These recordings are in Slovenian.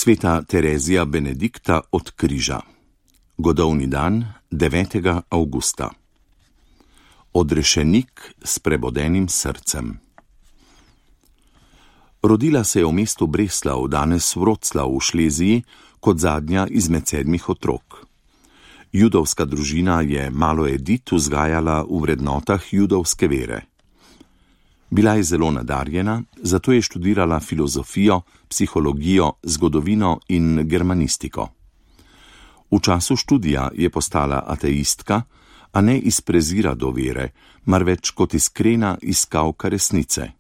Sveta Terezija Benedikta od križa. Godovni dan 9. avgusta. Odrešenik s prebodenim srcem. Rodila se je v mestu Breslau, danes Wroclaw v Šleziji, kot zadnja izmed 7 otrok. Judovska družina je malo Edit vzgajala v vrednotah judovske vere. Bila je zelo nadarjena, zato je študirala filozofijo, psihologijo, zgodovino in germanistiko. V času študija je postala ateistka, a ne iz prezira do vere, marveč kot iskrena iskalka resnice.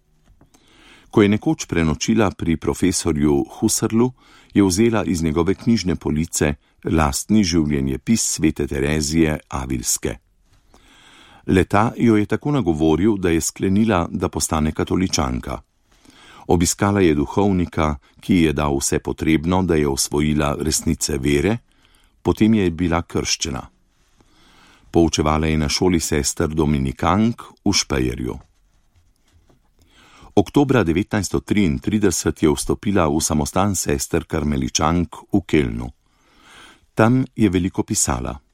Ko je nekoč prenočila pri profesorju Husserlu, je vzela iz njegove knjižne police lastni življenjepis svete Terezije Avilske. Leta jo je tako nagovoril, da je sklenila, da postane katoličanka. Obiskala je duhovnika, ki ji je dal vse potrebno, da je osvojila resnice vere, potem je bila krščena. Poučevala je na šoli sester Dominikank v Špejerju. Oktobra 1933 je vstopila v samostan sester Karmeličank v Kelnu. Tam je veliko pisala.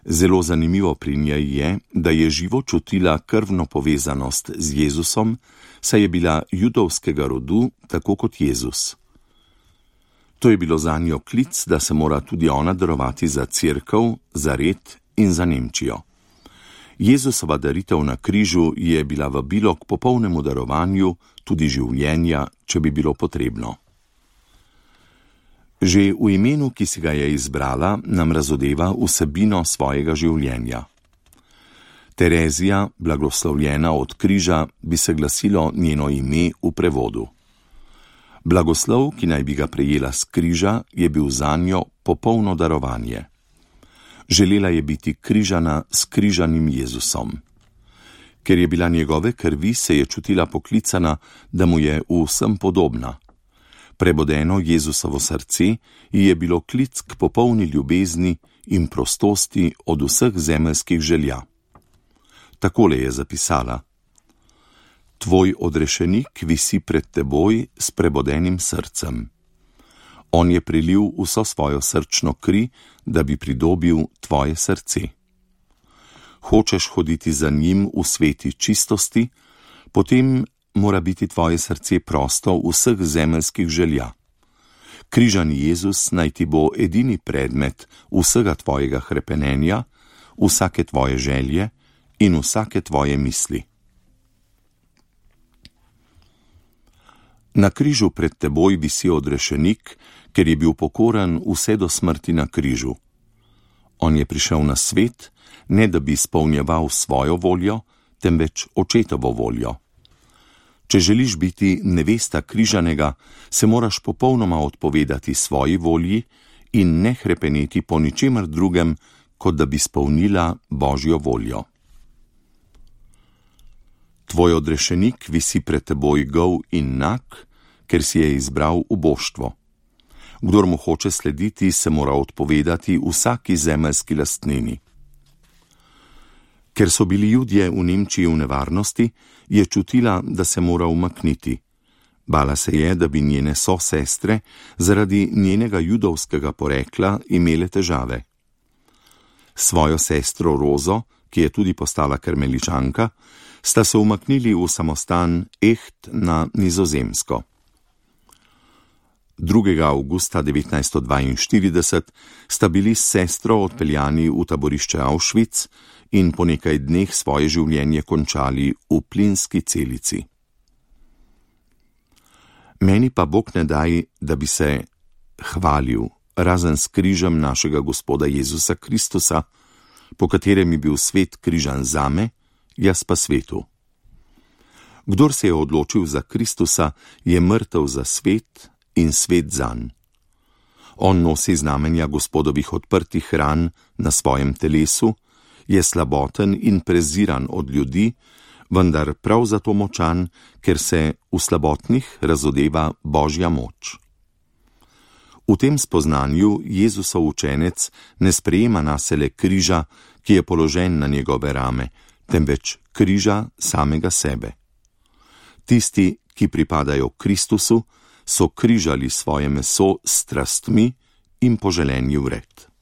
Zelo zanimivo pri njej je, da je živo čutila krvno povezanost z Jezusom, saj je bila judovskega rodu, tako kot Jezus. To je bilo zanjo klic, da se mora tudi ona darovati za cerkev, za red in za Nemčijo. Jezusova daritev na križu je bila vabilo k popolnemu darovanju, tudi življenja, če bi bilo potrebno. Že v imenu, ki si ga je izbrala, nam razodeva vsebino svojega življenja. Terezija, blagoslovljena od križa, bi se glasilo njeno ime v prevodu. Blagoslov, ki naj bi ga prejela s križa, je bil zanjo popolno darovanje. Želela je biti križana s križanim Jezusom. Ker je bila njegove krvi, se je čutila poklicana, da mu je v vsem podobna. Prebodeno Jezusovo srce ji je bilo klic k popolni ljubezni in prostosti od vseh zemeljskih želja. Takole je zapisala: Tvoj odrešenik visi pred teboj s prebodenim srcem. On je prilil vso svojo srčno kri, da bi pridobil tvoje srce. Hočeš hoditi za njim v sveti čistosti, potem mora biti tvoje srce prosto vseh zemeljskih želja. Križani Jezus naj ti bo edini predmet vsega tvojega hrepenenja, vsake tvoje želje in vsake tvoje misli. Na križu pred teboj visi odrešenik, ker je bil pokoran vse do smrti na križu. On je prišel na svet, ne da bi izpolnjeval svojo voljo, temveč očetovo voljo. Če želiš biti nevesta križanega, se moraš popolnoma odpovedati svoji volji in ne hrepeneti po ničemer drugem, kot da bi izpolnila Božjo voljo. Tvoj odrešenik visi pred teboj gol in nag, ker si je izbral uboštvo. Kdor mu hoče slediti, se mora odpovedati vsaki zemeljski lastnini. Ker so bili Judje v Nemčiji v nevarnosti, je čutila, da se mora umakniti. Bala se je, da bi njene sosestre zaradi njenega judovskega porekla imele težave. Svojo sestro Rozo, ki je tudi postala karmeličanka, sta se umaknili v samostan Echt na Nizozemsko. 2. avgusta 1942 sta bili s sestro odpeljani v taborišče Auschwitz in po nekaj dneh svoje življenje končali v plinski celici. Meni pa Bog ne daj, da bi se hvalil, razen s križem našega Gospoda Jezusa Kristusa, po katerem je bil svet križan zame, jaz pa svetu. Kdor se je odločil za Kristusa, je mrtev za svet in svet zanj. On nosi znamenja Gospodovih odprtih ran na svojem telesu, je slaboten in preziran od ljudi, vendar prav zato močan, ker se v slabotnih razodeva Božja moč. V tem spoznanju Jezusov učenec ne sprejema nasele križa, ki je položen na njegove rame, temveč križa samega sebe. Tisti, ki pripadajo Kristusu, so križali svoje meso s strastmi in poželenji vred.